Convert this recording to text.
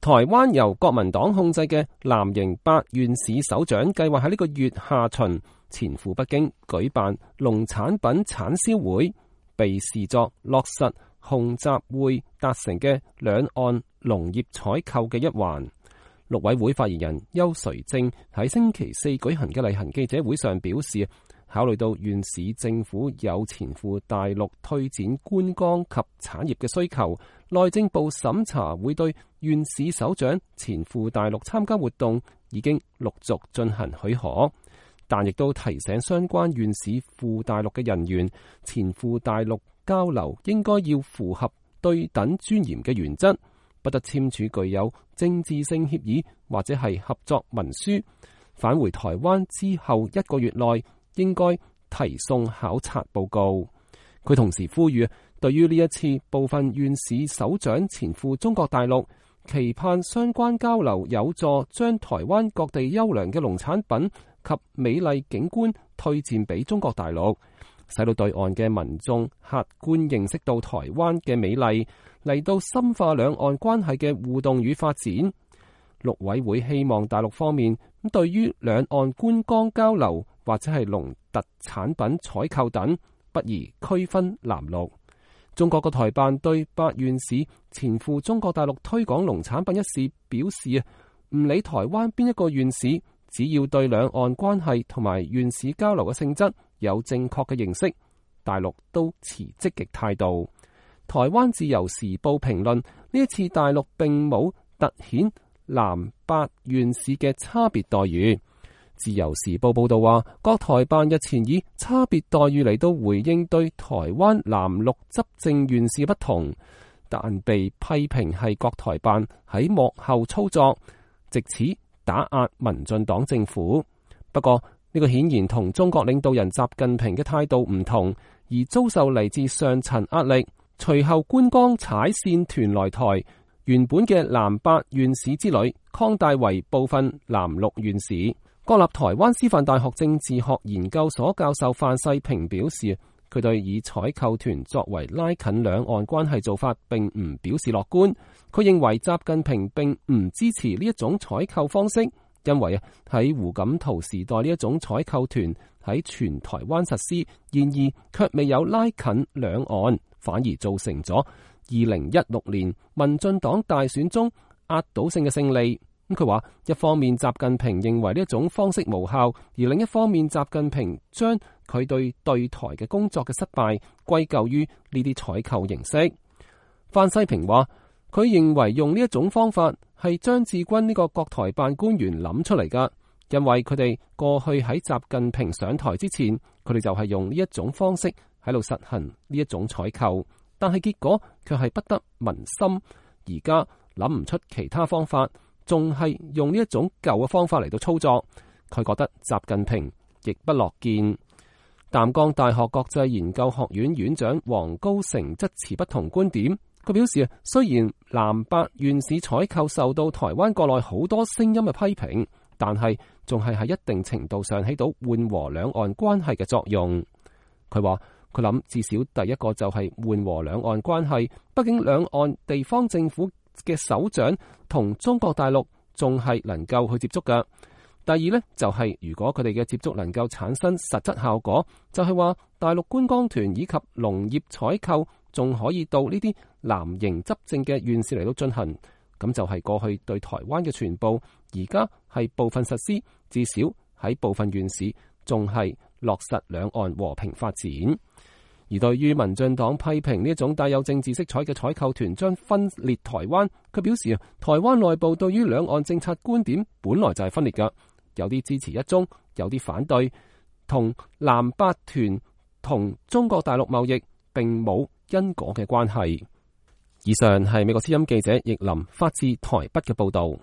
台灣由國民黨控制嘅藍營8縣市首長計劃喺呢個月下旬前赴北京舉辦農產品產銷會，被視作落實洪習會達成嘅兩岸農業採購嘅一環。陸委會發言人邱垂正喺星期四舉行嘅例行記者會上表示，考慮到縣市政府有前赴大陸推展觀光及產業嘅需求，內政部審查會對縣市首長前赴大陸參加活動已經陸續進行許可，但亦都提醒相關縣市赴大陸嘅人員，前赴大陸交流應該要符合對等尊嚴嘅原則，不得簽署具有政治性協議或者係合作文書。返回台灣之後1個月內應該提送考察報告。佢同時呼籲，對於呢一次部分縣市首長前赴中國大陸，期盼相關交流有助將台灣各地優良嘅農產品及美麗景觀推薦俾中國大陸，使到對岸嘅民眾客觀認識到台灣嘅美麗，嚟到深化兩岸關係嘅互動與發展。陸委會希望大陸方面對於兩岸觀光交流或者係農特產品採購等，不宜區分藍綠。中國嘅台辦對8縣市前赴中國大陸推廣農產品一事表示，唔理台灣邊一個縣市，只要對兩岸關係同埋縣市交流嘅性質有正確嘅認識，大陸都持積極態度。台灣自由時報評論，呢一次大陸並冇凸顯南8縣市嘅差別待遇。自由時報報道話，國台辦日前以差別待遇嚟到回應對台灣藍綠執政縣市不同，但被批評係國台辦喺幕後操作，藉此打壓民進黨政府。不過呢個顯然同中國領導人習近平嘅態度唔同，而遭受嚟自上層壓力。隨後觀光踩線團來台，原本嘅南8縣市之旅擴大為部分藍綠縣市。國立台灣師範大學政治學研究所教授范世平表示，佢對以採購團作為拉近兩岸關係做法並唔表示樂觀。佢認為習近平並唔支持呢一種採購方式，因為喺胡錦濤時代呢一種採購團喺全台灣實施，然而卻未有拉近兩岸，反而造成咗2016年民進黨大選中壓倒性嘅勝利。佢話一方面習近平認為呢一種方式無效，而另一方面習近平將佢對台嘅工作嘅失敗歸咎於呢啲採購形式。范世平話佢認為用呢一種方法係張志軍呢個國台辦官員諗出嚟噶，因為佢哋過去喺習近平上台之前，佢哋就係用呢一種方式喺度實行呢一種採購，但係結果卻係不得民心。而家諗唔出其他方法，仲係用呢一種舊嘅方法嚟到操作，佢覺得習近平亦不樂見。淡江大學國際研究學院院長黃高成則持不同觀點。佢表示，雖然南8縣市採購受到台灣國內好多聲音嘅批評，但係仲係喺一定程度上起到緩和兩岸關係嘅作用。佢話佢諗至少第一個就係緩和兩岸關係，畢竟兩岸地方政府嘅首長同中國大陸仲係能夠去接觸㗎。第二呢，就係如果佢哋嘅接觸能夠產生實質效果，就係話大陸觀光團以及農業採購仲可以到呢啲藍營執政嘅縣市嚟到進行，咁就係過去對台灣嘅全部，而家係部分實施，至少喺部分縣市仲係落實兩岸和平發展。而對於民進黨批評呢一種帶有政治色彩嘅採購團將分裂台灣，佢表示台灣內部對於兩岸政策觀點本來就係分裂㗎，有啲支持一中，有啲反對，同南8團同中國大陸貿易並冇因果嘅關係。以上係美國之音記者易林發自台北嘅報道。